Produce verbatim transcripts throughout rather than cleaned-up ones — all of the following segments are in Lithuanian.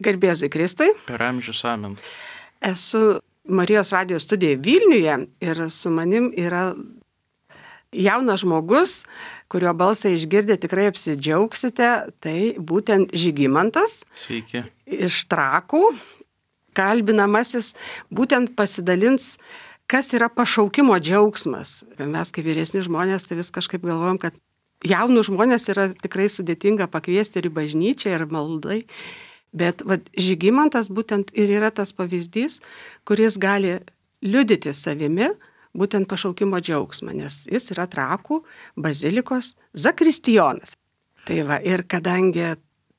Garbėzui Kristai. Per amžius amen. Esu Marijos radijos studijoje Vilniuje ir su manim yra jaunas žmogus, kurio balsą išgirdę tikrai apsidžiaugsite. Tai būtent Žygimantas. Sveiki. Iš Trakų. Kalbinamasis būtent pasidalins, kas yra pašaukimo džiaugsmas. Mes kaip vyresni žmonės tai vis kažkaip galvojam, kad jaunų žmonės yra tikrai sudėtinga pakviesti ir į bažnyčią, ir maldai. Bet va, Žygimantas būtent ir yra tas pavyzdys, kuris gali liudyti savimi būtent pašaukimo džiaugsmą, nes jis yra Trakų bazilikos zakristijonas. Tai va, ir kadangi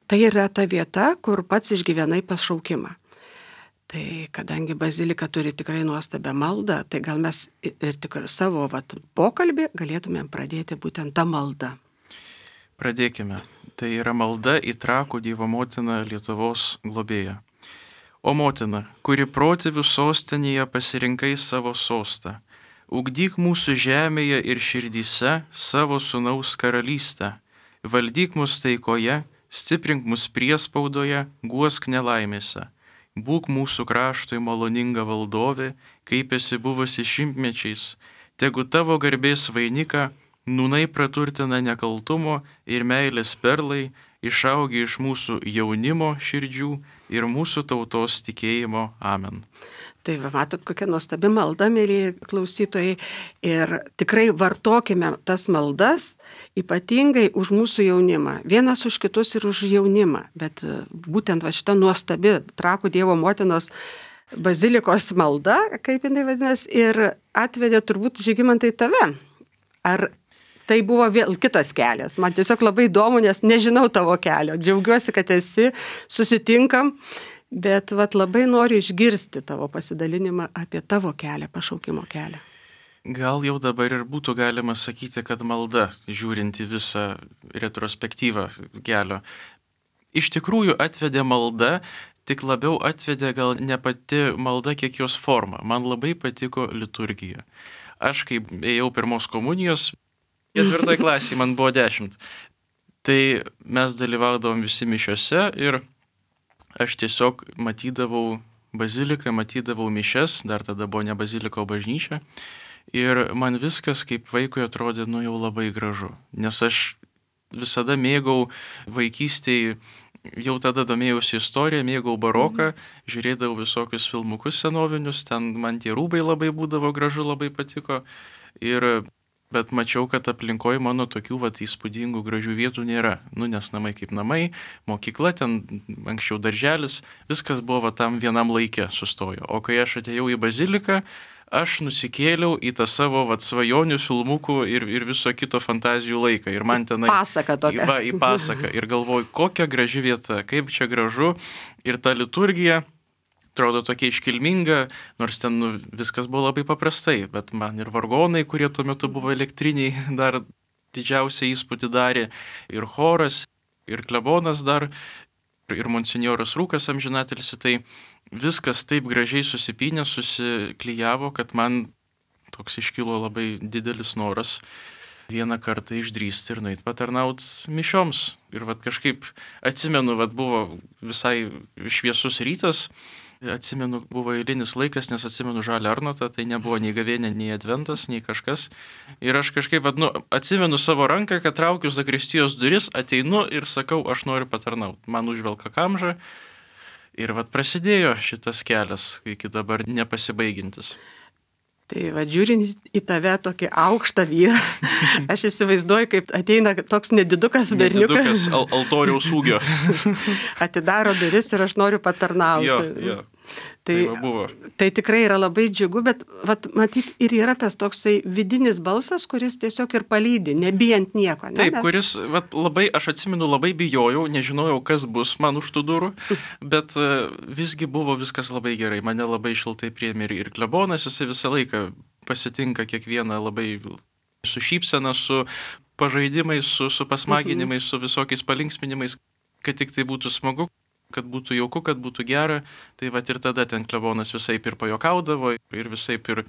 tai yra ta vieta, kur pats išgyvenai pašaukimą. Tai kadangi bazilika turi tikrai nuostabią maldą, tai gal mes ir tikrai savo vat, pokalbį galėtumėm pradėti būtent tą maldą. Pradėkime. Tai yra malda į Trakų Dievo motiną Lietuvos globėją. O motina, kuri protėvių sostinėje pasirinkai savo sostą, ugdyk mūsų žemėje ir širdyse savo sūnaus karalystę, valdyk mus taikoje, stiprink mus priespaudoje, guosk nelaimėse. Būk mūsų kraštui maloninga valdovė, kaip esi buvusi šimtmečiais, tegu tavo garbės vainiką nūnai praturtina nekaltumo ir meilės perlai, išaugi iš mūsų jaunimo širdžių ir mūsų tautos tikėjimo. Amen. Tai va, matot, kokia nuostabi malda, mėly klausytojai, ir tikrai vartokime tas maldas, ypatingai už mūsų jaunimą. Vienas už kitus ir už jaunimą, bet būtent va, šita nuostabi Trakų Dievo motinos bazilikos malda, kaip jinai vadinasi, ir atvedė turbūt Žygimantai tave. Ar tai buvo vėl kitas kelias? Man tiesiog labai įdomu, nes nežinau tavo kelio. Džiaugiuosi, kad esi, susitinkam, bet vat, labai noriu išgirsti tavo pasidalinimą apie tavo kelią, pašaukimo kelią. Gal jau dabar ir būtų galima sakyti, kad malda, žiūrint į visą retrospektyvą kelio, iš tikrųjų atvedė malda, tik labiau atvedė gal ne pati malda, kiek jos forma. Man labai patiko liturgija. Aš kaip ėjau pirmos komunijos, ketvirtoj klasėje man buvo dešimt. Tai mes dalyvaudavom visi mišiose ir aš tiesiog matydavau baziliką, matydavau mišes, dar tada buvo ne bazilika, o bažnyčia. Ir man viskas kaip vaikui atrodė, nu jau labai gražu. Nes aš visada mėgau vaikystėje, jau tada domėjausi istoriją, mėgau baroką, žiūrėdavau visokius filmukus senovinius, ten man tie rūbai labai būdavo gražu, labai patiko. Ir bet mačiau, kad aplinkoje mano tokių vat, įspūdingų gražių vietų nėra. Nu, nes namai kaip namai, mokykla, ten anksčiau darželis, viskas buvo vat, tam vienam laike sustojo. O kai aš atėjau į baziliką, aš nusikėliau į tą savo vat, svajonių, filmukų ir, ir viso kito fantazijų laiką. Ir man tenai... Pasaka tokia. Va, į pasaką. Ir galvoju, kokia graži vieta, kaip čia gražu. Ir ta liturgija atrodo tokia iškilminga, nors ten nu, viskas buvo labai paprastai, bet man ir vargonai, kurie tuo metu buvo elektriniai, dar didžiausią įspūdį darė, ir choras, ir klebonas dar, ir monsinjoras Rūkas amžinatilsi, tai viskas taip gražiai susipynė, susiklijavo, kad man toks iškilo labai didelis noras vieną kartą išdrįsti ir nueiti patarnaut mišioms. Ir vat kažkaip atsimenu, vat buvo visai šviesus rytas, atsimenu, buvo eilinis laikas, nes atsimenu žalią Arnotą, tai nebuvo nei gavėnė, nei adventas, nei kažkas. Ir aš kažkaip, vat, nu, atsimenu savo ranką, kad traukiu zakristijos duris, ateinu ir sakau, aš noriu patarnaut. Man užvelka kamžą. Ir vat prasidėjo šitas kelias, iki dabar nepasibaigintis. Tai va, žiūrint į tave tokį aukštą vyrą, aš įsivaizduoju, kaip ateina toks nedidukas berniukas. Nedidukas al- altoriaus ūgio. Atidaro duris ir aš noriu patarnauti. Jo, jo. Tai, Tai, buvo. tai tikrai yra labai džiugu, bet vat, matyt ir yra tas toksai vidinis balsas, kuris tiesiog ir palydi, nebijant nieko. Ne? Taip, Nes... kuris, vat, labai, aš atsimenu, labai bijojau, nežinojau, kas bus man už tų durų, bet uh, visgi buvo viskas labai gerai, mane labai šiltai priėmė ir, ir klebonas, jisai visą laiką pasitinka kiekvieną labai su šypsena, su pažaidimais, su, su pasmaginimais, su visokiais palinksminimais, kad tik tai būtų smagu, kad būtų jauku, kad būtų gera, tai vat ir tada ten klebonas visaip ir pajuokaudavo, ir visaip ir...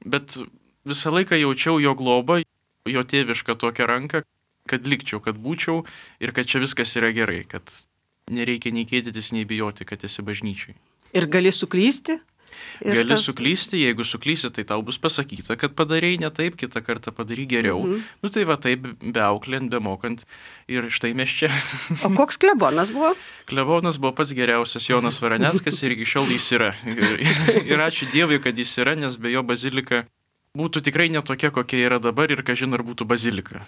Bet visą laiką jaučiau jo globą, jo tėvišką tokią ranką, kad likčiau, kad būčiau ir kad čia viskas yra gerai, kad nereikia nei kėdytis, nei bijoti, kad esi bažnyčiai. Ir gali suklysti? Ir Gali tas... suklysti, jeigu suklysi, tai tau bus pasakyta, kad padarei ne taip, kitą kartą padarai geriau. Mhm. Nu tai va taip, be auklint, be mokant. Ir štai mes čia. O koks klebonas buvo? Klebonas buvo pats geriausias Jonas Varaneckas ir iki šiol jis yra. Ir, ir ačiū Dievui, kad jis yra, nes be jo bazilika būtų tikrai netokia, kokia yra dabar ir kažin ar būtų bazilika.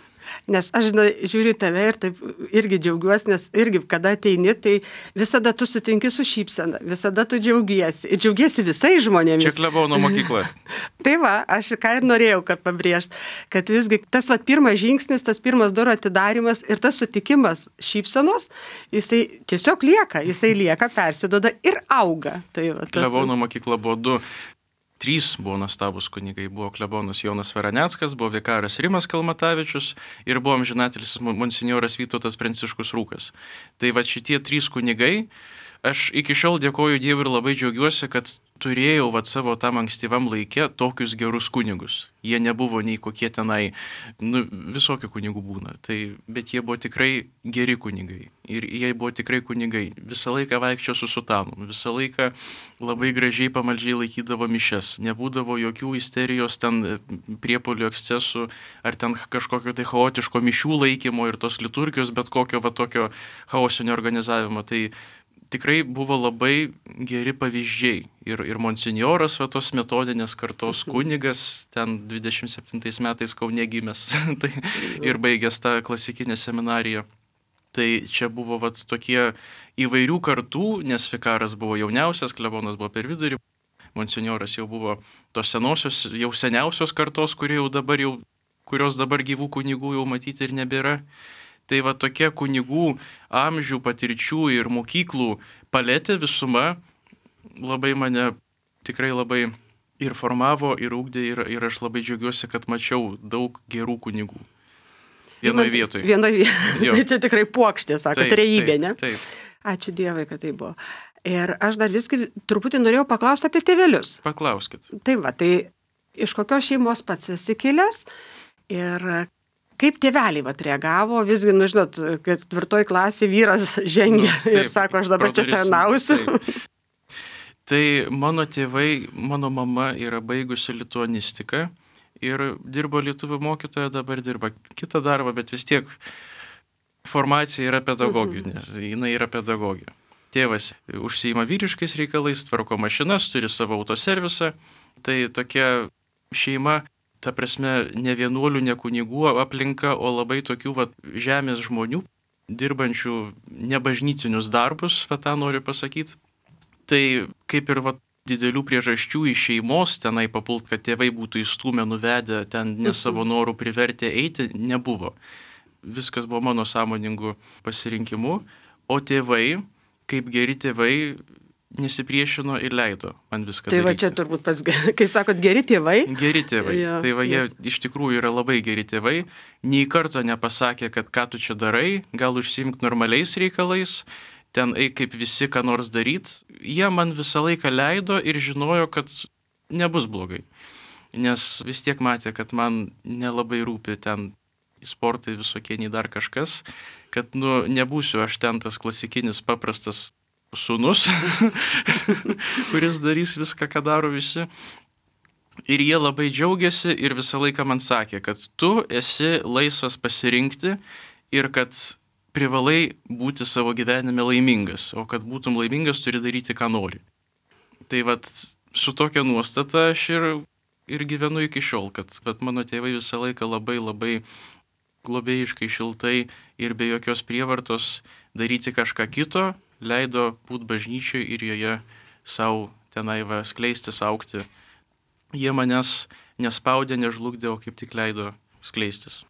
Nes aš žinai, žiūriu tave ir taip irgi džiaugiuosi, nes irgi kada ateini, tai visada tu sutinki su šypsena, visada tu džiaugiesi. Ir džiaugiesi visai žmonėmis. Čia klebono mokykla. Tai va, aš ką ir norėjau, kad pabrėžt, kad visgi tas va, pirmas žingsnis, tas pirmas durų atidarimas ir tas sutikimas šypsenos, jisai tiesiog lieka, jisai lieka, persiduoda ir auga. Tai va, tas... Klebono mokykla buvo du. Trys buvo nuostabus kunigai. Buvo klebonas Jonas Varaneckas, buvo vikaras Rimas Kalmatavičius ir buvo amžinatilis monsinjoras Vytautas Pranciškus Rūkas. Tai va šitie trys kunigai, aš iki šiol dėkoju Dievui ir labai džiaugiuosi, kad turėjau va savo tam ankstyvam laikė tokius gerus kunigus. Jie nebuvo nei kokie tenai, nu, visokių kunigų būna, tai, bet jie buvo tikrai geri kunigai. Ir jie buvo tikrai kunigai. Visą laiką vaikščio su sutanu, visą laiką labai gražiai pamaldžiai laikydavo mišes. Nebūdavo jokių isterijos ten priepuolių ekscesų ar ten kažkokio tai chaotiško mišių laikymo ir tos liturgijos, bet kokio va tokio chaosinio organizavimo. Tai tikrai buvo labai geri pavyzdžiai. Ir, ir monsinjoras, va tos metodinės kartos kunigas, ten dvidešimt septintais metais Kaune gimęs, tai ir baigęs tą klasikinę seminariją. Tai čia buvo va tokie įvairių kartų, nes vikaras buvo jauniausias, klebonas buvo per vidurį, monsinjoras jau buvo tos senosios, jau seniausios kartos, kurie jau dabar jau, kurios dabar gyvų kunigų jau matyti ir nebėra. Tai va tokia kunigų amžių, patirčių ir mokyklų paletė visuma labai mane tikrai labai ir formavo, ir ūkdė, ir, ir aš labai džiaugiuosi, kad mačiau daug gerų kunigų. Vienoje vietoje. Vienoje vietoje. Tai čia tikrai puokštė, sako, trejybė, ne? Taip. Ačiū Dievui, kad tai buvo. Ir aš dar viskai truputį norėjau paklausti apie tėvelius. Paklauskit. Tai va, tai iš kokios šeimos pats esi kilęs ir kaip tėveliai vat reagavo, visgi, nu žinot, kad ketvirtoj klasė vyras žengia nu, taip, ir sako, aš dabar čia tarnausiu. Tai mano tėvai, mano mama yra baigusi lituanistiką ir dirbo lietuvių mokytoja, dabar dirba kitą darbą, bet vis tiek formacija yra pedagoginė, nes jinai yra pedagogė. Tėvas užsiima vyriškais reikalais, tvarko mašinas, turi savo autoservisą, tai tokia šeima, ta prasme, ne vienuolių, ne kunigų aplinka, o labai tokių va, žemės žmonių, dirbančių nebažnytinius darbus, va tą noriu pasakyti. Tai kaip ir va, didelių priežasčių iš šeimos tenai papult, kad tėvai būtų įstūmę, nuvedę, ten ne savo norų privertę eiti, nebuvo. Viskas buvo mano sąmoningų pasirinkimų, o tėvai, kaip geri tėvai, nesipriešino ir leido man viską tai daryti. Tai va čia turbūt pats, kaip sakot, geri tėvai. Geri tėvai. Ja, tai va jie yes. iš tikrųjų yra labai geri tėvai. Nei karto nepasakė, kad ką tu čia darai, gal užsiimk normaliais reikalais, ten eik kaip visi ką nors daryt. Jie man visą laiką leido ir žinojo, kad nebus blogai. Nes vis tiek matė, kad man nelabai rūpi ten sportai visokie, nei dar kažkas, kad nu nebūsiu aš ten tas klasikinis paprastas sūnus, kuris darys viską, ką daro visi. Ir jie labai džiaugiasi ir visą laiką man sakė, kad tu esi laisvas pasirinkti ir kad privalai būti savo gyvenime laimingas, o kad būtum laimingas, turi daryti, ką nori. Tai vat su tokia nuostata aš ir, ir gyvenu iki šiol, kad vat, mano tėvai visą laiką labai labai globėjiškai, šiltai ir be jokios prievartos daryti kažką kito, leido būti bažnyčiai ir joje savo tenai va skleistis, augti. Jie manęs nespaudė, nežlugdė, o kaip tik leido skleistis.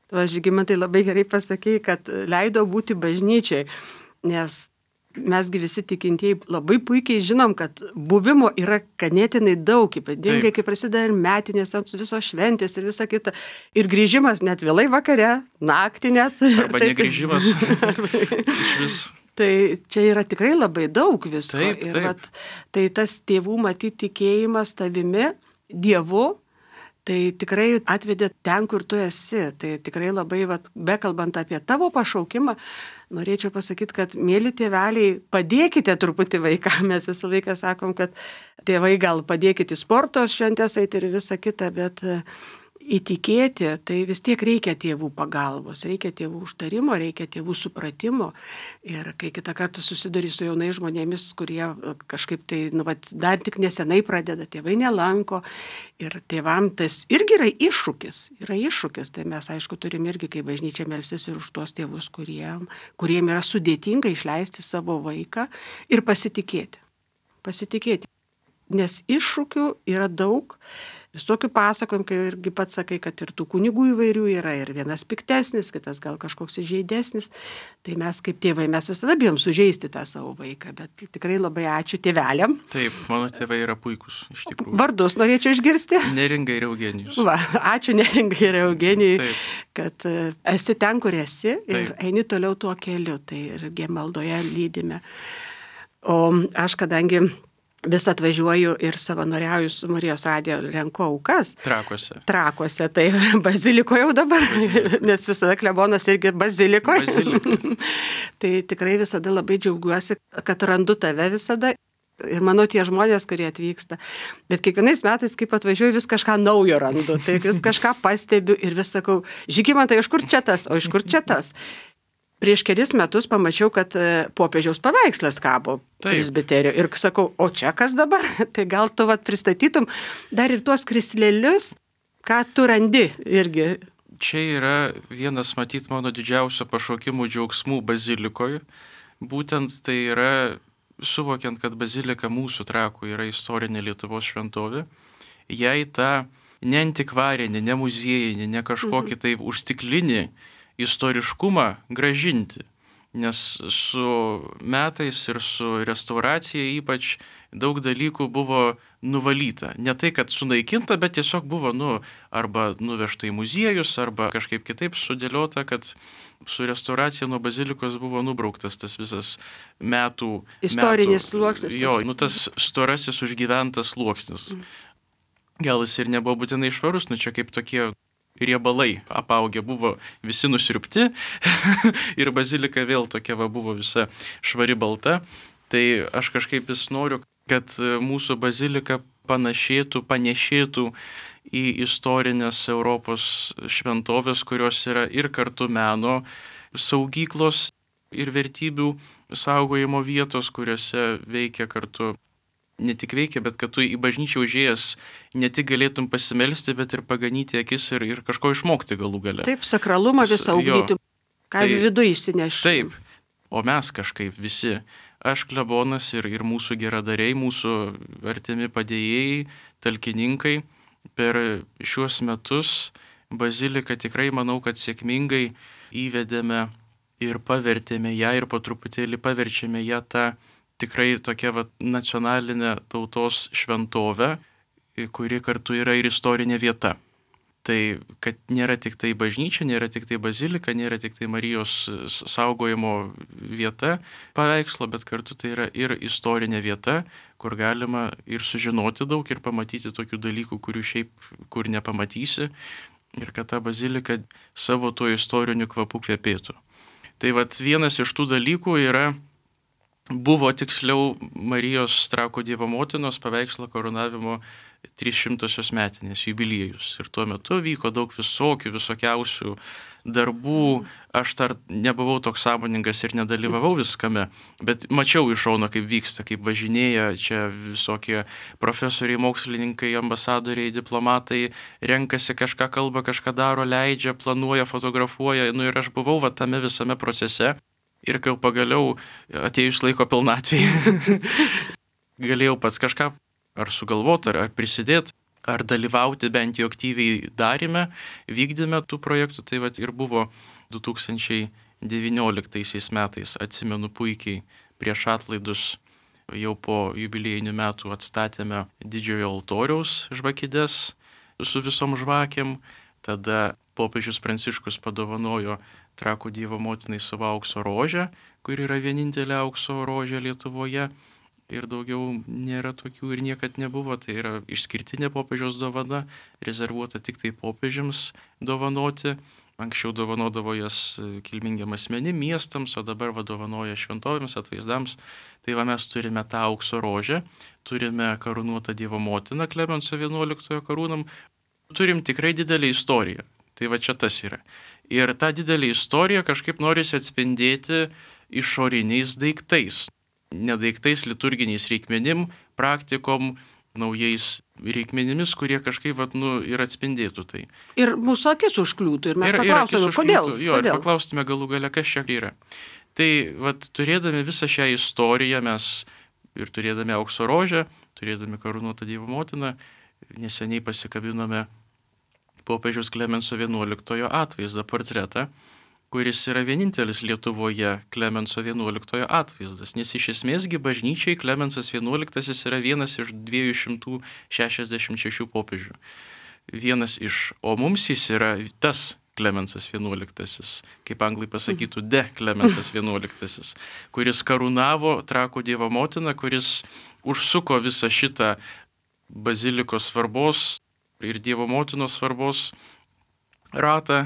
Tu, Žygimantai, labai gerai pasakei, kad leido būti bažnyčiai, nes mesgi visi tikintieji labai puikiai žinom, kad buvimo yra ganėtinai daug, ypatingai kai prasideda ir metinės, visos šventės ir visa kita. Ir grįžimas net vėlai vakare, naktį net. Arba negrįžimas. Iš vis. Tai čia yra tikrai labai daug visko. Taip, taip. Ir vat, tai tas tėvų matyti tikėjimas tavimi, Dievu, Tai tikrai atvedė ten, kur tu esi. Tai tikrai labai, vat, bekalbant apie tavo pašaukimą, norėčiau pasakyti, kad mėly tėveliai, padėkite truputį vaikam. Mes visą laiką sakom, kad tėvai gal padėkite į sporto šventės eiti ir visą kitą, bet įtikėti, tai vis tiek reikia tėvų pagalbos, reikia tėvų užtarimo, reikia tėvų supratimo. Ir kai kitą kartą susiduri su jaunai žmonėmis, kurie kažkaip tai nu, vat, dar tik nesenai pradeda, tėvai nelanko. Ir tėvam tas irgi yra iššūkis. Yra iššūkis. Tai mes, aišku, turim irgi, kai bažnyčia melsis ir už tuos tėvus, kuriem, kuriem yra sudėtinga išleisti savo vaiką ir pasitikėti. Pasitikėti. Nes iššūkių yra daug. Visokių pasakojimų, kai irgi pats sakai, kad ir tų kunigų įvairių yra, ir vienas piktesnis, kitas gal kažkoks įžeidesnis. Tai mes kaip tėvai, mes visada bijom sužeisti tą savo vaiką, bet tikrai labai ačiū tėveliam. Taip, mano tėvai yra puikūs, iš tikrųjų. Vardus norėčiau išgirsti. Neringa ir Eugenijus. Va, ačiū Neringa ir Eugenijui, kad esi ten, kur esi ir Taip. Eini toliau tuo keliu, tai irgi maldoje lydime. O aš kadangi vis atvažiuoju ir savanoriauju su Marijos radijo, renku aukas. Trakuose. Trakuose, tai bazilikoje jau dabar, Bazilika. Nes visada klebonas irgi bazilikoje. Bazilika. Tai tikrai visada labai džiaugiuosi, kad randu tave visada. Ir manau, tie žmonės, kurie atvyksta. Bet kiekvienais metais, kaip atvažiuoju, vis kažką naujo randu. Tai vis kažką pastebiu ir vis sakau, Žygimantai, iš kur čia tas, o iš kur čia tas? Prieš kelis metus pamačiau, kad popiežiaus paveikslas kabo presbiterio. Ir sakau, o čia kas dabar? Tai gal tu vat pristatytum dar ir tuos krislelius, ką tu randi irgi. Čia yra vienas, matyt, mano didžiausio pašaukimų džiaugsmų bazilikoje. Būtent tai yra, suvokiant, kad bazilika mūsų Trakų yra istorinė Lietuvos šventovė, jai tą ne antikvarinį, ne muziejinį, ne kažkokį taip užstiklinį istoriškumą gražinti, nes su metais ir su restauracija ypač daug dalykų buvo nuvalyta. Ne tai, kad sunaikinta, bet tiesiog buvo nu, arba nuvežta į muziejus, arba kažkaip kitaip sudėliota, kad su restauracija nuo bazilikos buvo nubrauktas tas visas metų... Istorinis metų, sluoksnis. Jo, nu tas storasis užgyventas sluoksnis. Mm. Gal jis ir nebuvo būtinai švarus, nu čia kaip tokie riebalai apaugę buvo visi nusirpti ir bazilika vėl tokia va buvo visa švari balta. Tai aš kažkaip vis noriu, kad mūsų bazilika panašėtų, panešėtų į istorinės Europos šventovės, kurios yra ir kartu meno saugyklos ir vertybių saugojimo vietos, kuriuose veikia kartu. Ne tik veikia, bet kad tu į bažnyčią užėjęs ne tik galėtum pasimelsti, bet ir paganyti akis ir, ir kažko išmokti galų gale. Taip, sakralumą visą ugdyti, ką tai, viduje įsinešti. Taip, o mes kažkaip visi, aš klebonas ir, ir mūsų geradariai, mūsų artimi padėjėjai, talkininkai, per šiuos metus baziliką tikrai manau, kad sėkmingai įvedėme ir pavertėme ją ir po truputėlį paverčiame ją tą tikrai tokia va, nacionalinė tautos šventovė, kuri kartu yra ir istorinė vieta. Tai, kad nėra tik tai bažnyčia, nėra tik tai bazilika, nėra tik tai Marijos saugojimo vieta paveikslo, bet kartu tai yra ir istorinė vieta, kur galima ir sužinoti daug ir pamatyti tokių dalykų, kurių šiaip kur nepamatysi, ir kad ta bazilika savo tuo istoriniu kvapu kvepėtų. Tai vat vienas iš tų dalykų yra Buvo tiksliau Marijos Trakų Dievo motinos paveikslo karūnavimo trysšimtosios metinės jubiliejus. Ir tuo metu vyko daug visokių, visokiausių darbų. Aš dar nebuvau toks sąmoningas ir nedalyvavau viskame, bet mačiau iš šono, kaip vyksta, kaip važinėja čia visokie profesoriai, mokslininkai, ambasadoriai, diplomatai, renkasi kažką kalba, kažką daro, leidžia, planuoja, fotografuoja. Nu ir aš buvau va tame visame procese. Ir kai pagaliau atėjus laiko pilnatvėje, galėjau pats kažką ar sugalvoti, ar, ar prisidėti, ar dalyvauti bent jau aktyviai darime, vykdyme tų projektų. Tai vat ir buvo du tūkstančiai devynioliktaisiais metais, atsimenu puikiai, prieš atlaidus jau po jubiliejinių metų atstatėme didžiojo altoriaus žvakides su visom žvakėm. Tada popiežius Pranciškus padovanojo Trakų Dievo motinai savo aukso rožę, kuri yra vienintelė aukso rožė Lietuvoje. ir daugiau nėra tokių ir niekad nebuvo. Tai yra išskirtinė popiežiaus dovana, rezervuota tik tai popiežiams dovanoti. Anksčiau dovanodavo jas kilmingiam asmenim, miestams, o dabar vadovanoja šventovėms, atvaizdams. Tai va mes turime tą aukso rožę, turime karūnuotą Dievo motiną Klemenso vienuoliktojo karūnam, turim tikrai didelę istoriją. Tai va čia tas yra. Ir tą didelę istoriją kažkaip norisi atspindėti išoriniais daiktais. Ne daiktais, liturginiais reikmenim, praktikom, naujais reikmenimis, kurie kažkaip vat, nu, ir atspindėtų tai. Ir mūsų akis užkliūtų ir mes ir, paklaustume, kodėl? Jo, kodėl? Ir paklaustume galų gale, kas čia yra. Tai vat, turėdami visą šią istoriją mes ir turėdami aukso rožę, turėdami karūnuotą Dievo motiną, neseniai pasikabinome popiežiaus Klemenso vienuoliktojo atvaizdą, portretą, kuris yra vienintelis Lietuvoje Klemenso vienuoliktojo atvaizdas, nes iš esmėsgi bažnyčiai Klemensas vienuoliktasis yra vienas iš dviejų šimtų šešiasdešimt šešių popiežių. Vienas iš, o mums jis yra tas Klemensas vienuoliktasis, kaip anglai pasakytų, de Klemensas vienuoliktasis, kuris karūnavo Trakų Dievo motiną, kuris užsuko visą šitą bazilikos svarbos ir Dievo motinos svarbos ratą,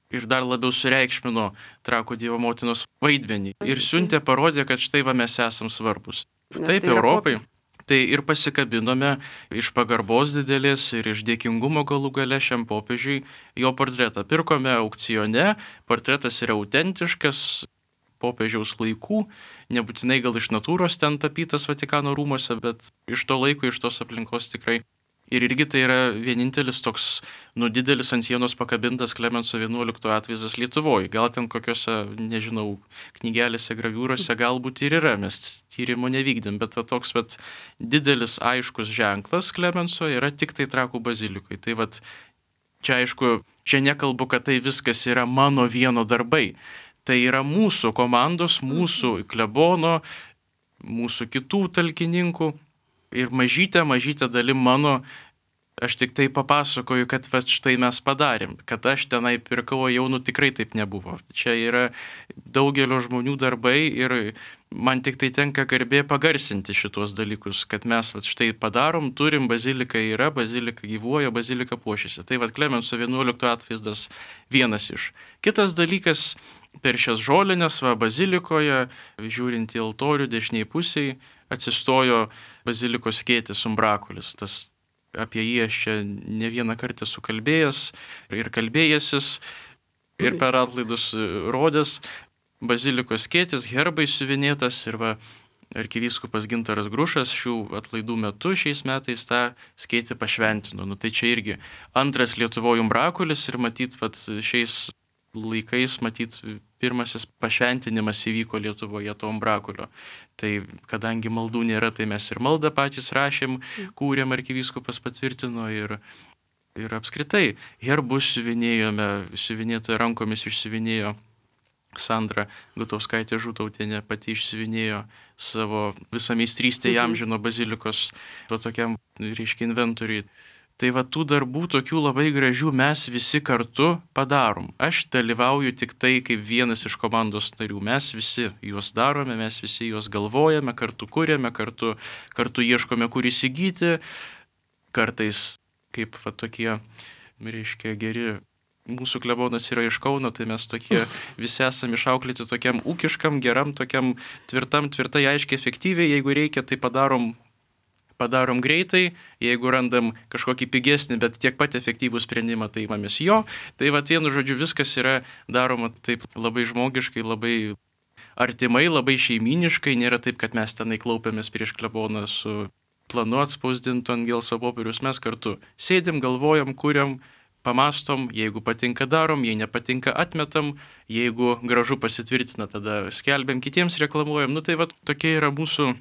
ir dar labiau sureikšmino Trakų Dievo motinos vaidmenį. Ir siuntė, parodė, kad štai va mes esam svarbus. Taip, tai Europai. Popie. Tai ir pasikabinome iš pagarbos didelės ir iš dėkingumo galų gale šiam popiežiui jo portretą. Pirkome aukcione, portretas yra autentiškas, popiežiaus laikų, nebūtinai gal iš natūros ten tapytas Vatikano rūmose, bet iš to laiko, iš tos aplinkos tikrai. Ir irgi tai yra vienintelis toks, nu, didelis ant sienos pakabintas Klemenso vienuoliktojo atvaizdas Lietuvoje. Gal ten kokiuose, nežinau, knygelėse, graviūrose galbūt ir yra, mes tyrimo nevykdėm, bet va, toks vat, didelis aiškus ženklas Klemenso yra tik tai Trakų bazilikoje. Tai vat, čia aišku, čia nekalbu, kad tai viskas yra mano vieno darbai. Tai yra mūsų komandos, mūsų klebono, mūsų kitų talkininkų. Ir mažytė, mažytė dalim mano, aš tik tai papasakoju, kad va, štai mes padarėm, kad aš tenai pirkau, jau nu tikrai taip nebuvo. Čia yra daugelio žmonių darbai ir man tik tai tenka garbė pagarsinti šitos dalykus, kad mes va, štai padarom, turim, bazilika yra, bazilika gyvuoja, bazilika puošiasi. Tai va, Klemenso vienuoliktojo atvaizdas vienas iš. Kitas dalykas, per šias žolinės, va, bazilikoje, žiūrint į altorių dešiniai pusiai, atsistojo bazilikos skėtis umbrakulis. Tas, apie jį aš čia ne vieną kartą esu kalbėjęs ir kalbėjęsis ir per atlaidus rodęs. Bazilikos skėtis, herbai siuvinėtas ir va, arkivyskupas Gintaras Grušas šių atlaidų metu šiais metais tą skėtį pašventino. Nu, tai čia irgi antras Lietuvoje umbrakulis ir matyt, vat, šiais laikais, matyt, pirmasis pašventinimas įvyko Lietuvoje to umbrakulio. Tai kadangi maldų nėra, tai mes ir maldą patys rašėm, kūrėm, arkivyskupas patvirtino ir, ir apskritai herbus siuvinėjome, siuvinėtoje rankomis išsiuvinėjo Sandra Gutauskaitė Žutautienė, pati išsiuvinėjo savo visą meistrystę įamžino bazilikos to tokiam, reiškia, inventoriui. Tai va tų darbų tokių labai gražių mes visi kartu padarom. Aš dalyvauju tik tai kaip vienas iš komandos narių. Mes visi juos darome, mes visi juos galvojame, kartu kuriame, kartu, kartu ieškome, kur įsigyti. Kartais kaip va tokie, reiškia, geri. Mūsų klebonas yra iš Kauno, tai mes tokie visi esame išauklėti tokiam ūkiškam, geram, tokiam tvirtam, tvirtai, aiškiai, efektyviai. Jeigu reikia, tai padarom Padarom greitai, jeigu randam kažkokį pigesnį, bet tiek pat efektyvų sprendimą, tai imamės jo. Tai va, vienu žodžiu, viskas yra daroma taip labai žmogiškai, labai artimai, labai šeiminiškai. Nėra taip, kad mes tenai klaupiamės prieš kleboną su planu atspausdintu ant gelso popieriaus. Mes kartu sėdim, galvojam, kuriam, pamastom, jeigu patinka darom, jei nepatinka atmetam, jeigu gražu pasitvirtina, tada skelbiam, kitiems reklamuojam. Nu tai va, tokia yra mūsų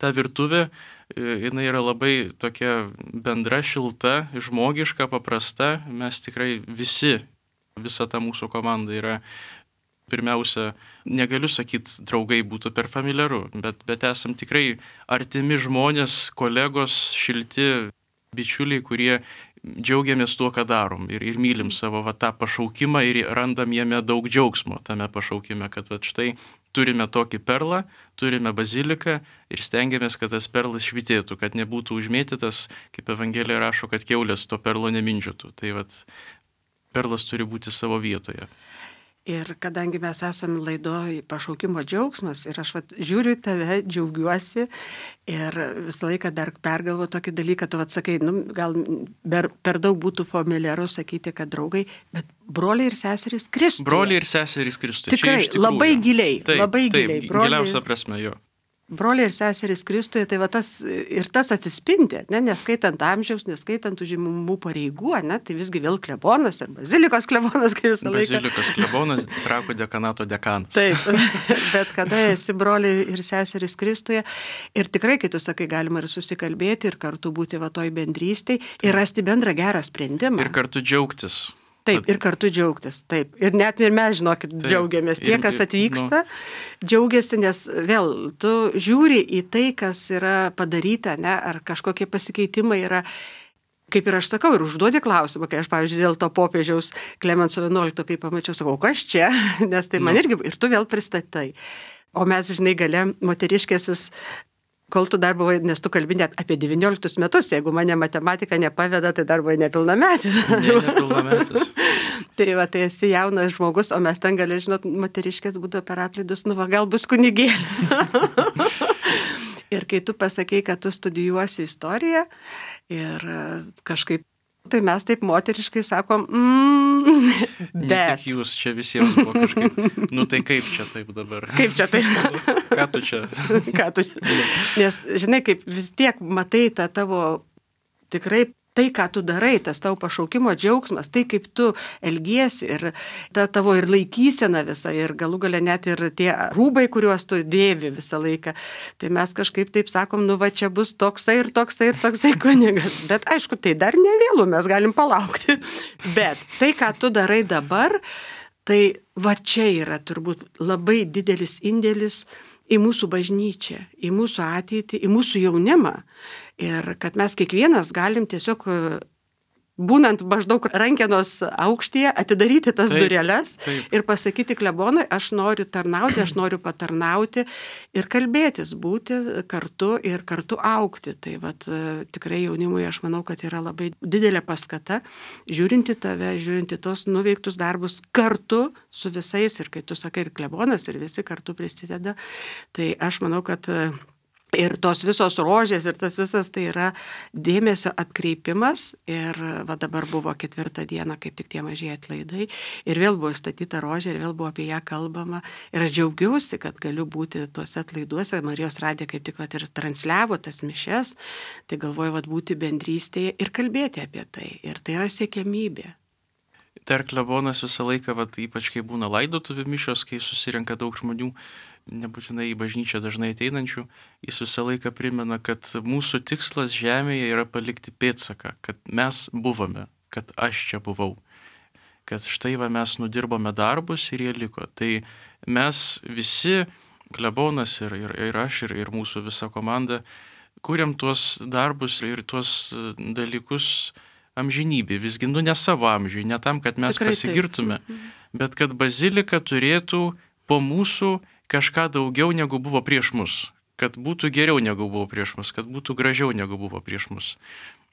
ta virtuvė. Jinai yra labai tokia bendra, šilta, žmogiška, paprasta. Mes tikrai visi, visa ta mūsų komanda yra, pirmiausia, negaliu sakyti, draugai būtų per familiaru, bet, bet esam tikrai artimi žmonės, kolegos, šilti bičiuliai, kurie džiaugiamės tuo, ką darom ir, ir mylim savo va, tą pašaukimą ir randam jame daug džiaugsmo tame pašaukime, kad va, štai turime tokį perlą, turime baziliką ir stengiamės, kad tas perlas švitėtų, kad nebūtų užmėtytas, kaip Evangelija rašo, kad kiaulės to perlo nemindžiotų. Tai vat perlas turi būti savo vietoje. Ir kadangi mes esame laidoj pašaukimo džiaugsmas ir aš vat, žiūriu į tave, džiaugiuosi ir visą laiką dar pergalvoju tokį dalyką, tu atsakai, nu, gal per, per daug būtų familiaru sakyti, kad draugai, bet broliai ir seserys Kristuje. Broliai ir seserys Kristuje. Tikrai, labai giliai, taip, labai taip, giliai. Broliai... Giliausia prasme jo. Broliai ir seserys Kristuje, tai va tas ir tas atsispindi, ne, neskaitant amžiaus, neskaitant užimamų pareigų, ne, tai visgi vėl klebonas ir bazilikos klebonas, kai visą laiką. Bazilikos klebonas, Trakų dekanato dekanas. Taip, bet kada esi broliai ir seserys Kristuje ir tikrai, kai tu sakai, galima ir susikalbėti ir kartu būti va toj bendrystėj ir rasti bendrą gerą sprendimą. Ir kartu džiaugtis. Taip, ir kartu džiaugtis, taip. Ir net ir mes, žinokit, taip, džiaugiamės. Tie, kas atvyksta, nu. Džiaugiasi, nes vėl tu žiūri į tai, kas yra padaryta, ne, ar kažkokie pasikeitimai yra. Kaip ir aš sakau, ir užduodi klausimą, kai aš, pavyzdžiui, dėl to popiežiaus Klemenso vienuoliktojo, kai pamačiau, sakau, kas čia, nes tai man nu. irgi, ir tu vėl pristatai. O mes, žinai, gale moteriškės vis... Kol tu dar buvai, nes tu kalbi net apie devynioliktus metus, jeigu mane matematika nepaveda, tai dar buvai nepilnametis. Ne, nepilnametis. Tai va, tai esi jaunas žmogus, o mes ten gali, žinot, moteriškės būdavo per atlaidus, nu va, gal bus kunigėlė. Ir kai tu pasakei, kad tu studijuosi istoriją ir kažkaip, tai mes taip moteriškai sakom, mm, bet... Ne tik jūs, čia visiems buvo kažkaip, nu tai kaip čia taip dabar? Kaip čia taip? Ką tu čia? Ką tu čia? Nes, žinai, kaip vis tiek matai tą tavo tikrai tai, ką tu darai, tas tavo pašaukimo džiaugsmas, tai kaip tu elgiesi ir ta tavo ir laikysena visa ir galų gale net ir tie rūbai, kuriuos tu dėvi visą laiką. Tai mes kažkaip taip sakom, nu va čia bus toksai ir toksai ir toksai kunigas. Bet aišku, tai dar ne vėlu, mes galim palaukti. Bet tai, ką tu darai dabar, tai va čia yra turbūt labai didelis indėlis į mūsų bažnyčią, į mūsų ateitį, į mūsų jaunimą. Ir kad mes kiekvienas galim tiesiog, būnant maždaug rankenos aukštyje, atidaryti tas taip, dureles taip. Ir pasakyti klebonui, aš noriu tarnauti, aš noriu patarnauti ir kalbėtis, būti kartu ir kartu augti. Tai vat, tikrai jaunimui aš manau, kad yra labai didelė paskata, žiūrinti tave, žiūrinti tos nuveiktus darbus kartu su visais ir kai tu sakai ir klebonas ir visi kartu prisideda, tai aš manau, kad ir tos visos rožės ir tas visas tai yra dėmesio atkreipimas ir va dabar buvo ketvirtą dieną kaip tik tie mažieji atlaidai ir vėl buvo statyta rožė ir vėl buvo apie ją kalbama ir aš džiaugiausi, kad galiu būti tuose atlaiduose, Marijos radija kaip tik va ir transliavo tas mišias, tai galvoju va būti bendrystėje ir kalbėti apie tai ir tai yra siekiamybė. Dar klebonas visą laiką, vat, ypač kai būna laidotuvių mišios, kai susirenka daug žmonių, nebūtinai į bažnyčią dažnai ateinančių, jis visą laiką primena, kad mūsų tikslas žemėje yra palikti pėdsaką, kad mes buvome, kad aš čia buvau, kad štai va mes nudirbome darbus ir jie liko. Tai mes visi, klebonas ir, ir, ir aš, ir, ir mūsų visa komanda, kuriam tuos darbus ir tuos dalykus amžinybė, visgi nu ne savo amžiui, ne tam, kad mes tikrai pasigirtume, taip. Bet kad bazilika turėtų po mūsų kažką daugiau negu buvo prieš mus, kad būtų geriau negu buvo prieš mus, kad būtų gražiau negu buvo prieš mus.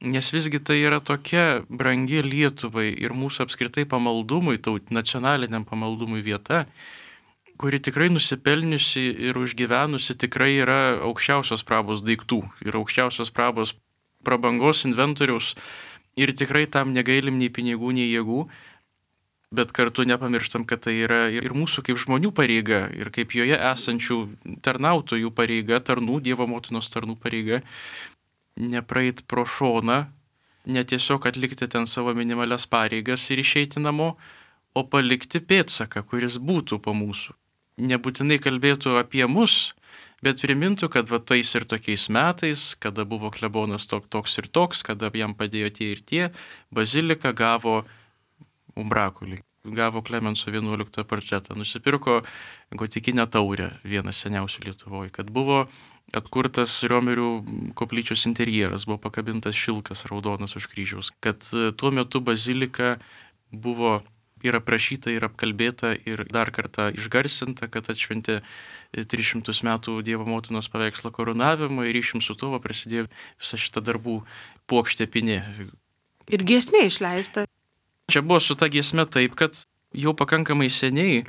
Nes visgi tai yra tokia brangi Lietuvai ir mūsų apskritai pamaldumui, taut nacionaliniam pamaldumui vieta, kuri tikrai nusipelniusi ir užgyvenusi tikrai yra aukščiausios prabos daiktų ir aukščiausios prabos prabangos inventoriaus. Ir tikrai tam negailim nei pinigų, nei jėgų, bet kartu nepamirštam, kad tai yra ir mūsų kaip žmonių pareiga, ir kaip joje esančių tarnautojų pareiga, tarnų, Dievo motinos tarnų pareiga, nepraeit pro šoną, ne tiesiog atlikti ten savo minimalias pareigas ir išeiti namo, o palikti pėdsaką, kuris būtų po mūsų. Nebūtinai kalbėtų apie mus, bet primintų, kad va tais ir tokiais metais, kada buvo klebonas tok, toks ir toks, kada jam padėjo tie ir tie, bazilika gavo umbrakulį, gavo Klemenso vienuoliktojo portretą, nusipirko gotikinę taurę, vieną seniausių Lietuvoje, kad buvo atkurtas Riomerių koplyčios interjeras, buvo pakabintas šilkas raudonas už kryžiaus, kad tuo metu bazilika buvo ir aprašyta, ir apkalbėta, ir dar kartą išgarsinta, kad atšventė tris šimtus metų Dievo motinos paveikslo karūnavimo ir ryšim su tuo prasidėjo visa šita darbų puokštė pinė. Ir giesmė išleista. Čia buvo su ta giesme taip, kad jau pakankamai seniai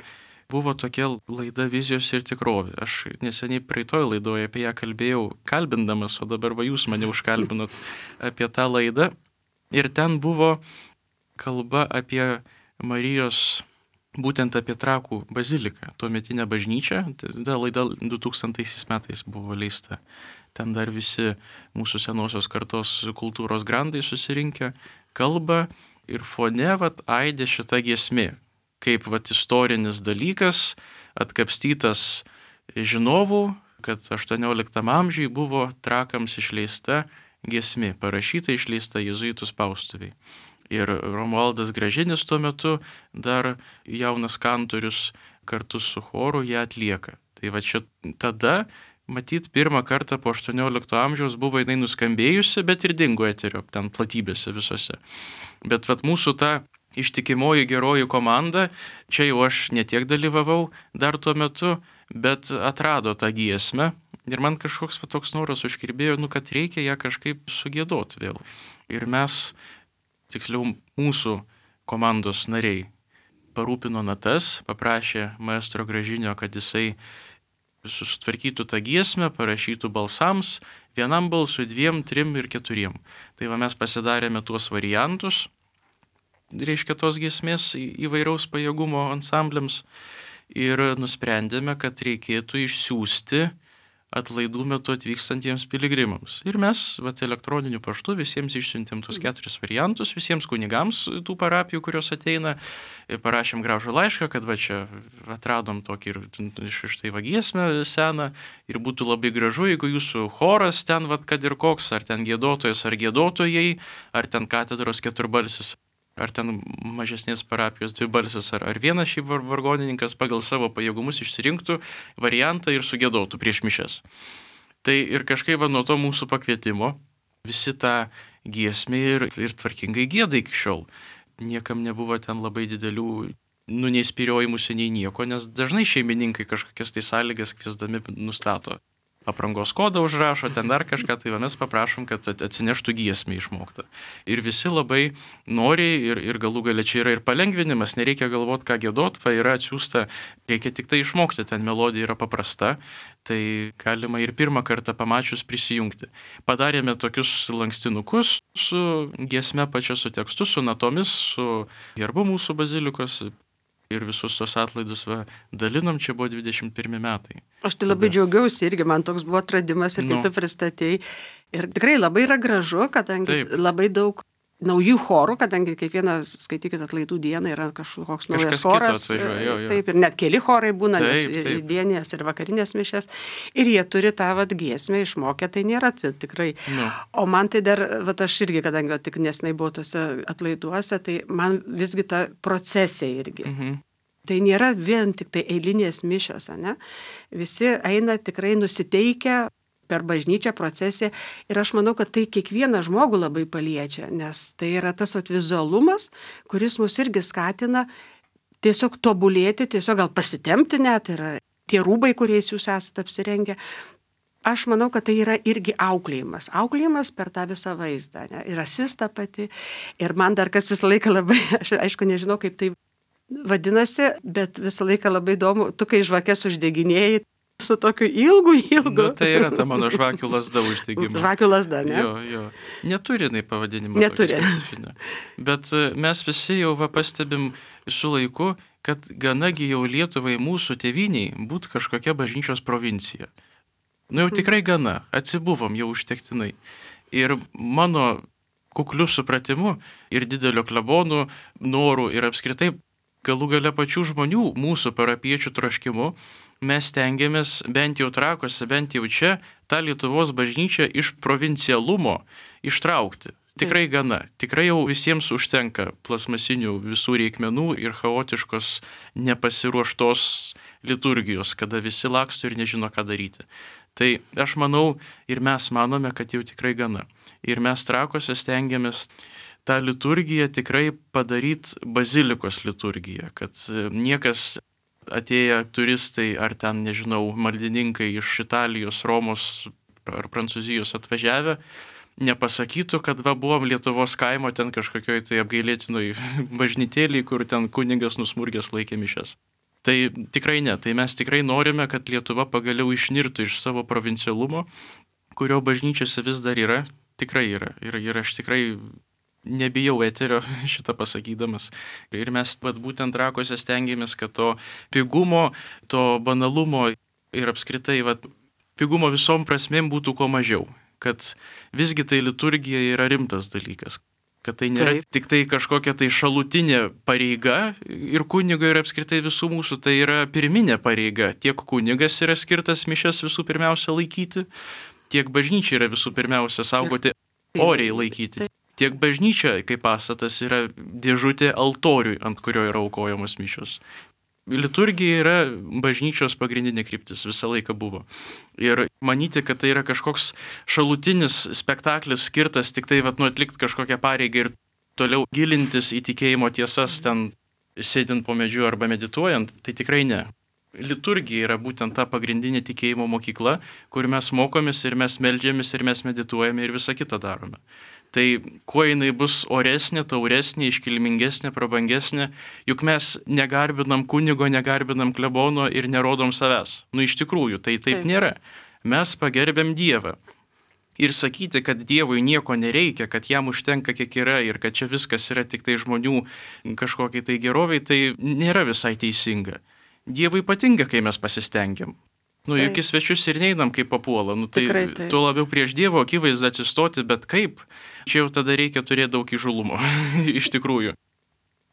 buvo tokia laida Vizijos ir tikrovė. Aš neseniai praeitoj laidoje apie ją kalbėjau kalbindamas, o dabar va jūs mane užkalbinot apie tą laidą. Ir ten buvo kalba apie Marijos, būtent apie Trakų baziliką, tuometinę bažnyčią. Ta laida du tūkstantaisiais metais buvo leista. Ten dar visi mūsų senosios kartos kultūros grandai susirinkę kalba ir fone vat aidė šita giesmė. Kaip vat istorinis dalykas, atkapstytas žinovų, kad aštuonioliktam amžiui buvo Trakams išleista giesmė, parašyta išleista jėzuitų spaustuviai. Ir Romualdas Gražinis tuo metu dar jaunas kantorius kartu su choru ją atlieka. Tai va čia tada, matyt, pirmą kartą po aštuoniolikto amžiaus buvo jinai nuskambėjusi, bet ir dingo eterio, ten platybėse visose. Bet vat mūsų ta ištikimoji geroji komanda, čia jau aš netiek dalyvavau dar tuo metu, bet atrado tą giesmę. Ir man kažkoks toks noras užkirbėjo, nu, kad reikia ją kažkaip sugėdoti vėl. Ir mes, tiksliau mūsų komandos nariai, parūpino natas, paprašė maestro Gražinio, kad jisai susitvarkytų tą giesmę, parašytų balsams, vienam balsui, dviem, trim ir keturiem. Tai va mes pasidarėme tuos variantus, reiškia tos giesmės įvairaus pajėgumo ansambliams ir nusprendėme, kad reikėtų išsiųsti atlaidų metu atvykstantiems piligrimams. Ir mes vat, elektroniniu paštu visiems išsiuntėm tuos keturis variantus, visiems kunigams tų parapijų, kurios ateina, parašėm gražų laišką, kad va čia atradom tokį ir iš tai va giesmę seną ir būtų labai gražu, jeigu jūsų choras ten, vat, kad ir koks, ar ten giedotojas, ar giedotojai, ar ten katedros keturbalsis, ar ten mažesnės parapijos dvibalsis, ar, ar vienas šiaip vargonininkas pagal savo pajėgumus išsirinktų variantą ir sugėdotų prieš mišes. Tai ir kažkaip va, nuo to mūsų pakvietimo visi tą giesmę ir, ir tvarkingai gieda iki šiol. Niekam nebuvo ten labai didelių, nu, nei spyriojimusi, nei nieko, nes dažnai šeimininkai kažkokias tai sąlygas kviesdami nustato. Aprangos kodą užrašo, ten dar kažką, tai mes paprašom, kad atsineštų giesmę išmoktą. Ir visi labai noriai ir, ir galų galia čia yra ir palengvinimas, nereikia galvoti, ką giedot, va yra atsiųsta, reikia tik tai išmokti, ten melodija yra paprasta, tai galima ir pirmą kartą pamačius prisijungti. Padarėme tokius lankstinukus su giesme pačia, su tekstu, su natomis, su herbu mūsų bazilikos. Ir visus tos atlaidus va, dalinom, čia buvo dvidešimt pirmi metai. Aš tai labai džiaugiausi irgi, man toks buvo atradimas ir kaip nu. Tu pristatėjai. Ir tikrai labai yra gražu, kadangi Taip. Labai daug naujų chorų, kadangi kiekvienas, skaitykit, atlaidų dieną yra kažkoks naujas choras. Atvažiuoja, jo, jo. Taip, ir net keli chorai būna, taip, nes taip. dienės ir vakarinės mišės. Ir jie turi tą vat, giesmę išmokę, tai nėra tikrai. Nu. O man tai dar, vat, aš irgi, kadangi tik nesnai buvau tose atlaiduose, tai man visgi ta procesija irgi. Mhm. Tai nėra vien tik tai eilinės mišios, ne? Visi eina tikrai nusiteikę per bažnyčią procesiją ir aš manau, kad tai kiekvieną žmogų labai paliečia, nes tai yra tas vat, vizualumas, kuris mus irgi skatina tiesiog tobulėti, tiesiog gal pasitempti net, yra tie rūbai, kuriais jūs esate apsirengę. Aš manau, kad tai yra irgi auklėjimas. Auklėjimas per tą visą vaizdą. Ne? Ir asista pati. Ir man dar kas visą laiką labai, aš aišku nežinau, kaip tai vadinasi, bet visą laiką labai įdomu, tu kai žvakės uždeginėjai su tokiu ilgu, ilgu. Nu, tai yra ta mano žvakių lasda uždegimo. Žvakių lasda, ne? Jo, jo. Neturi jinai pavadinimo. Neturi. Bet mes visi jau va, pastebim su laiku, kad ganagi jau Lietuvai mūsų tėviniai būtų kažkokia bažnyčios provincija. Nu jau tikrai gana, atsibuvom jau užtektinai. Ir mano kukliu supratimu ir didelio klebonų norų ir apskritai galų gale pačių žmonių, mūsų parapiečių troškimu, mes tengiamės bent jau Trakuose, bent jau čia, tą Lietuvos bažnyčią iš provincialumo ištraukti. Tikrai gana. Tikrai jau visiems užtenka plasmasinių visų reikmenų ir chaotiškos nepasiruoštos liturgijos, kada visi laksto ir nežino, ką daryti. Tai aš manau ir mes manome, kad jau tikrai gana. Ir mes Trakuose stengiamės tą liturgiją tikrai padaryti bazilikos liturgiją, kad niekas atėję turistai ar ten, nežinau, maldininkai iš Italijos, Romos ar Prancūzijos atvažiavę, nepasakytų, kad va buvom Lietuvos kaimo ten kažkokioj tai apgailėtinoj bažnytėlėj, kur ten kunigas nusmurgęs laikė mišias. Tai tikrai ne, tai mes tikrai norime, kad Lietuva pagaliau išnirtų iš savo provincialumo, kurio bažnyčiose vis dar yra, tikrai yra. Ir, ir aš tikrai nebijau eterio šitą pasakydamas. Ir mes vat, būtent Trakuose stengiamės, kad to pigumo, to banalumo ir apskritai vat, pigumo visom prasmėm būtų kuo mažiau. Kad visgi tai liturgija yra rimtas dalykas. Kad tai nėra Taip. Tik tai kažkokia tai šalutinė pareiga ir kunigo ir apskritai visų mūsų, tai yra pirminė pareiga. Tiek kunigas yra skirtas mišias visų pirmiausia laikyti, tiek bažnyčia yra visų pirmiausia saugoti, oriai laikyti. Tiek bažnyčia, kaip pastatas, yra dėžutė altoriui, ant kurio yra aukojamos mišios. Liturgija yra bažnyčios pagrindinė kryptis, visą laiką buvo. Ir manyti, kad tai yra kažkoks šalutinis spektaklis skirtas tik tai vat, nu, atlikti kažkokią pareigą ir toliau gilintis į tikėjimo tiesas ten sėdint po medžiu arba medituojant, tai tikrai ne. Liturgija yra būtent ta pagrindinė tikėjimo mokykla, kur mes mokomės ir mes meldžiamės ir mes medituojame ir visą kitą darome. Tai kuo jinai bus oresnė, tauresnė, iškilmingesnė, prabangesnė, juk mes negarbinam kunigo, negarbinam klebono ir nerodom savęs. Nu iš tikrųjų, tai taip, taip nėra. Mes pagerbėm Dievą. Ir sakyti, kad Dievui nieko nereikia, kad jam užtenka kiek yra ir kad čia viskas yra tik tai žmonių kažkokiai tai geroviai, tai nėra visai teisinga. Dievui patinka, kai mes pasistengiam. Nu, juk į svečius ir neinam kaip papuola. Nu, tai Tikrai, tuo labiau prieš Dievo akivaizdą atsistoti, bet kaip? Čia jau tada reikia turėti daug įžulumo, iš tikrųjų.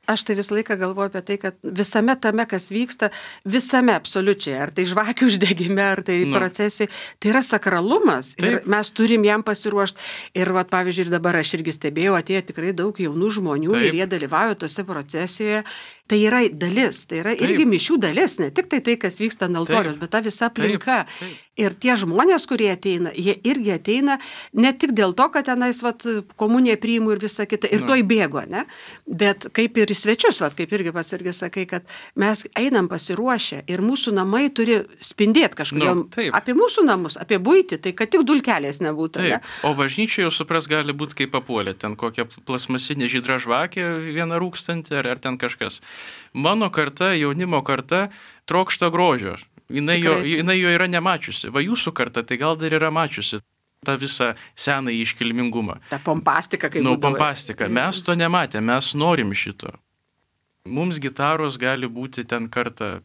Aš tai visą laiką galvoju apie tai, kad visame tame, kas vyksta, visame absoliučiai, ar tai žvakių uždegime, ar tai nu. procesijai, tai yra sakralumas. Taip. Ir mes turim jam pasiruošti. Ir, vat, pavyzdžiui, ir dabar aš irgi stebėjau, atėjo tikrai daug jaunų žmonių Taip. Ir jie dalyvauja tose procesijoje. Tai yra dalis, tai yra Taip. Irgi mišių dalis, ne tik tai tai, kas vyksta ant altoriaus, bet ta visa aplinka. Taip. Taip. Ir tie žmonės, kurie ateina, jie irgi ateina ne tik dėl to, kad tenais vat, komuniją priimu ir visą kitą, ir tuoj bėgo, ne? Bet kaip ir į svečius, vat, kaip irgi pats irgi sakai, kad mes einam pasiruošę ir mūsų namai turi spindėti kažkodėl nu, apie mūsų namus, apie buitį, tai kad tik dulkelės nebūtų. Ne? O bažnyčia jau supras gali būti kaip papuolė, ten kokia plasmasinė žydra žvakė, viena rūkstanti ar, ar ten kažkas. Mano karta, jaunimo karta, trokšta grožio. Jinai jo, jinai jo yra nemačiusi. Va jūsų karta tai gal dar yra mačiusi tą visą senąjį iškilmingumą. Ta pompastika, kaip nu, pompastika. Mes to nematėm, mes norim šito. Mums gitaros gali būti ten kartą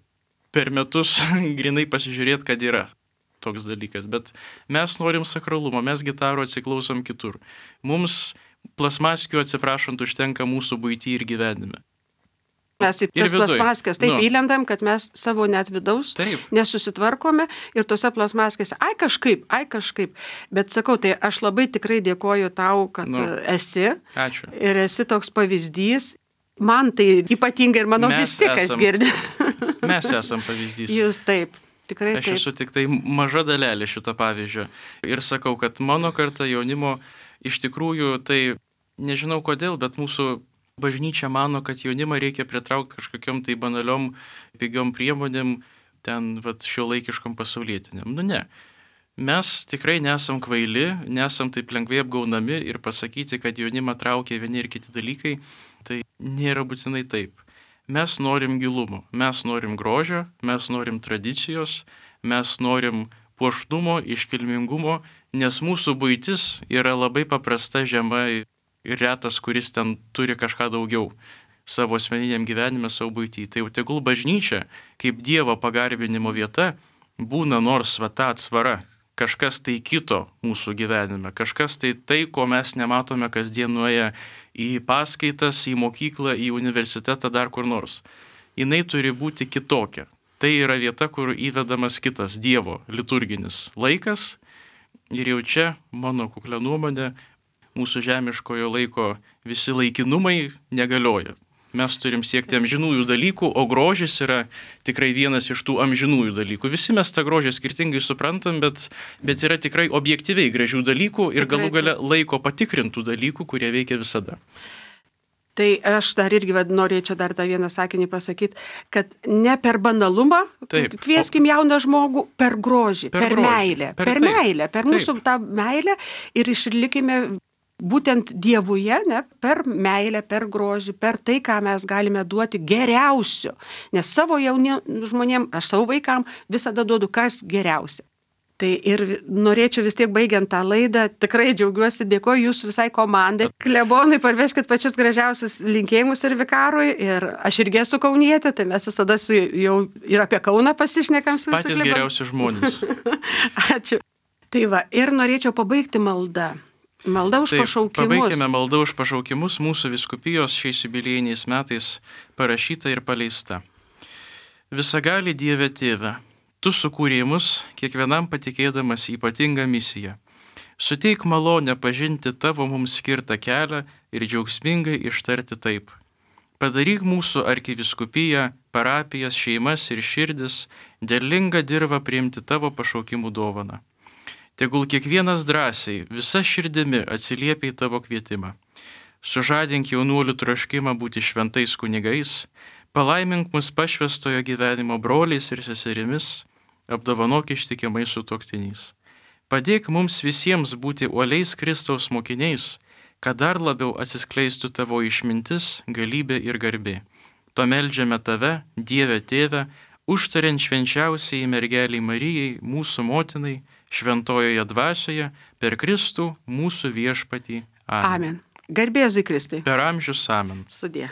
per metus grinai pasižiūrėti, kad yra toks dalykas. Bet mes norim sakralumo, mes gitaro atsiklausom kitur. Mums plasmaskių atsiprašant užtenka mūsų buitį ir gyvenime. Mes į tas plasmaskės taip nu. Įlendam, kad mes savo net vidaus taip. Nesusitvarkome ir tose plasmaskėse, ai kažkaip, ai kažkaip. Bet sakau, tai aš labai tikrai dėkoju tau, kad nu. Esi. Ačiū. Ir esi toks pavyzdys. Man tai ypatingai ir manau mes visi, esam, kas girdi. Mes esam pavyzdys. Jūs taip, tikrai aš taip. Aš esu tik tai maža dalelė šito pavyzdžio. Ir sakau, kad mano karta jaunimo iš tikrųjų tai, nežinau kodėl, bet mūsų bažnyčia mano, kad jaunimą reikia pritraukti kažkokiam tai banaliom, pigiom priemonėm, ten vat, šiuolaikiškom pasaulietiniam. Nu ne. Mes tikrai nesam kvaili, nesam taip lengvai apgaunami ir pasakyti, kad jaunimą traukia vieni ir kiti dalykai, tai nėra būtinai taip. Mes norim gilumo, mes norim grožio, mes norim tradicijos, mes norim puošnumo, iškilmingumo, nes mūsų buitis yra labai paprasta, žema ir retas, kuris ten turi kažką daugiau savo asmeniniam gyvenime, savo buitį. Tai jau tegul bažnyčia, kaip Dievo pagarbinimo vieta, būna nors va ta atsvara, kažkas tai kito mūsų gyvenime, kažkas tai tai, ko mes nematome kasdien nuėję į paskaitas, į mokyklą, į universitetą, dar kur nors. Jinai turi būti kitokia. Tai yra vieta, kur įvedamas kitas Dievo liturginis laikas ir jau čia, mano kuklia nuomonė, mūsų žemiškojo laiko visi laikinumai negalioja. Mes turim siekti amžinųjų dalykų, o grožis yra tikrai vienas iš tų amžinųjų dalykų. Visi mes tą grožį skirtingai suprantam, bet, bet yra tikrai objektyviai gražių dalykų ir tikrai, galų gale laiko patikrintų dalykų, kurie veikia visada. Tai aš dar irgi norėčiau dar tą vieną sakinį pasakyti, kad ne per banalumą taip, kvieskim jauną žmogų, per grožį, per, per grožį, meilę, per, per meilę, per taip. Mūsų tą meilę ir išlikime būtent Dievuje, ne, per meilę, per grožį, per tai, ką mes galime duoti geriausio. Nes savo jauniem žmonėm, aš savo vaikam visada duodu kas geriausia. Tai ir norėčiau vis tiek baigiant tą laidą, tikrai džiaugiuosi, dėkoju jūsų visai komandai. Klebonui parveškit pačius gražiausius linkėjimus ir vikarui. Ir aš irgi esu kaunietė, tai mes visada su jau ir apie Kauną pasišnekam su patys geriausi žmonės. Ačiū. Tai va, ir norėčiau pabaigti maldą. Malda už Taip, pašaukimus. Pabaikime maldą už pašaukimus mūsų vyskupijos šiais jubiliejiniais metais parašyta ir paleista. Visagali Dieve Tėve, Tu sukūrei mus, kiekvienam patikėdamas ypatingą misiją. Suteik malonę pažinti Tavo mums skirtą kelią ir džiaugsmingai ištarti taip. Padaryk mūsų arkiviskupiją, parapijas, šeimas ir širdis, derlingą dirvą priimti Tavo pašaukimų dovaną. Tegul kiekvienas drąsiai, visa širdimi atsiliepia į Tavo kvietimą. Sužadink jaunuolių troškimą būti šventais kunigais, palaimink mus pašvęstojo gyvenimo broliais ir seserimis, apdovanok ištikimai sutuoktiniais. Padėk mums visiems būti uoliais Kristaus mokiniais, kad dar labiau atsiskleistų Tavo išmintis, galybė ir garbė. To meldžiame Tave, Dieve Tėve, užtariant švenčiausiai mergeliai Marijai, mūsų motinai, šventojoje dvasioje, per Kristų mūsų viešpatį. Amen. Amen. Garbė Jėzui Kristui. Per amžius amen. Sudie.